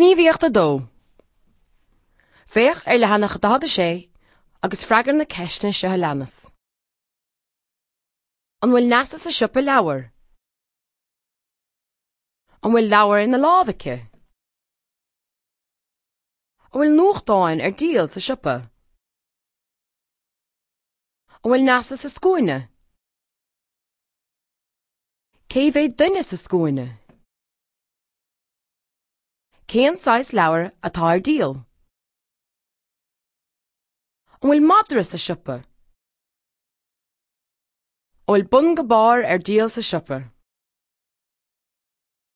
Gníomhaíocht 2. Féach ar leathanach 46 agus freagair na ceisteanna seo a leanas. An bhfuil Neasa sa siopa leabhar? An bhfuil leabhar ina lámh aici? An bhfuil nuachtáin ar díol sa siopa? An bhfuil Neasa sa scuaine? Cé mhéad duine sa scuaine? Cén saghas leabhar atá ar díol? An bhfuil madra sa siopa? An bhfuil bun go barr ar díol sa siopa?